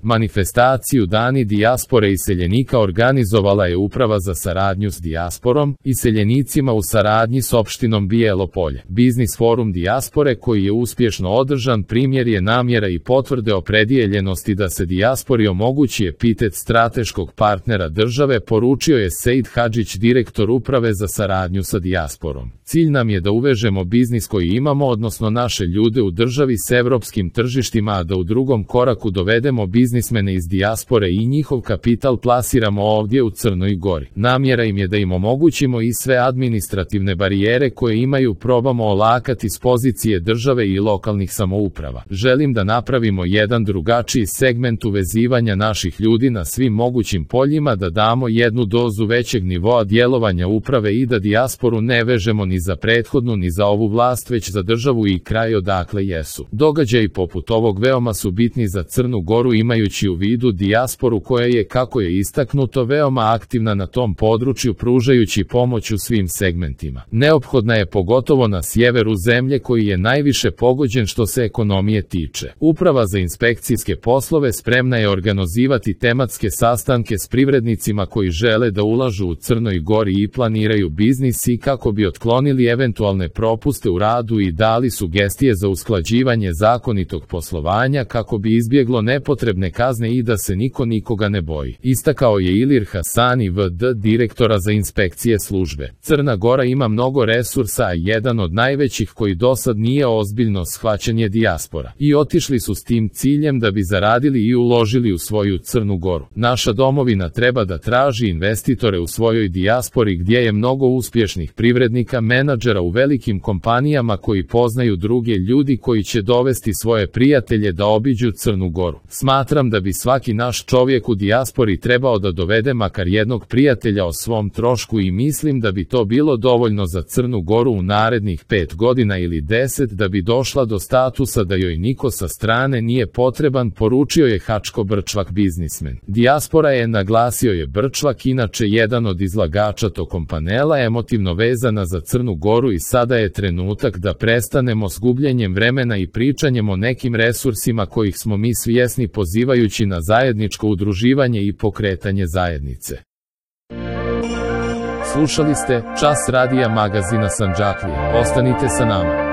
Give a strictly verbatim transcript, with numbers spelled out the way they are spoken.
Manifestaciju Dani dijaspore iseljenika organizovala je Uprava za saradnju s dijasporom, iseljenicima u saradnji s opštinom Bijelo Polje. Biznis forum dijaspore koji je uspješno održan primjer je namjera i potvrde opredijeljenosti da se dijaspori omogući epitet strateškog partnera države, poručio je Seid Hadžić, direktor Uprave za saradnju sa dijasporom. Cilj nam je da uvežemo biznis koji imamo, odnosno naše ljude u državi s evropskim tržištima, a da u drugom koraku dovedemo biznismene iz dijaspore i njihov kapital plasiramo ovdje u Crnoj Gori. Namjera im je da im omogućimo i sve administrativne barijere koje imaju probamo olakati s pozicije države i lokalnih samouprava. Želim da napravimo jedan drugačiji segment uvezivanja naših ljudi na svim mogućim poljima, da damo jednu dozu većeg nivoa djelovanja uprave i da dijasporu ne vežemo ni za prethodnu ni za ovu vlast, već za državu i kraj odakle jesu. Događaji poput ovog veoma su bitni za Crnu Goru, imajući u vidu dijasporu koja je, kako je istaknuto, veoma aktivna na tom području, pružajući pomoć u svim segmentima. Neophodna je pogotovo na sjeveru zemlje koji je najviše pogođen što se ekonomije tiče. Uprava za inspekcijske poslove spremna je organizirati tematske sastanke s privrednicima koji žele da ulažu u Crnoj Gori i planiraju biznis i kako bi otklonili eventualne propuste u radu i dali sugestije za usklađivanje zakonitog poslovanja kako bi izbjeglo nepotrebne kazne i da se niko nikoga ne boji. Istakao je Ilir Hasani, V D direktora za inspekcije službe. Crna Gora ima mnogo resursa, a jedan od najvećih koji dosad nije ozbiljno shvaćen je dijaspora. I otišli su s tim ciljem da bi zaradili i uložili u svoju Crnu Goru. Naša domovina treba da traži investitore u svojoj dijaspori gdje je mnogo uspješnih privrednika, menadžera u velikim kompanijama koji poznaju druge ljudi koji će dovesti svoje prijatelje da obiđu Crnu Goru. Smatram da bi svaki naš čovjek u dijaspori trebao da dovede makar jednog prijatelja o svom trošku i mislim da bi to bilo dovoljno za Crnu Goru u narednih pet godina ili deset da bi došla do statusa da joj niko sa strane nije potreban, poručio je Hačko Brčvak, biznismen. Dijaspora je, naglasio je Brčvak, inače jedan od izlagača tokom panela, emotivno vezana za Crnu Goru i sada je trenutak da prestanemo s gubljenjem vremena i pričanjem o nekim resursima kojih smo mi svjesni, pozivajući na zajedničko udruživanje i pokretanje zajednice. Slušali ste Čas radija magazina Sandžaklija. Ostanite sa nama.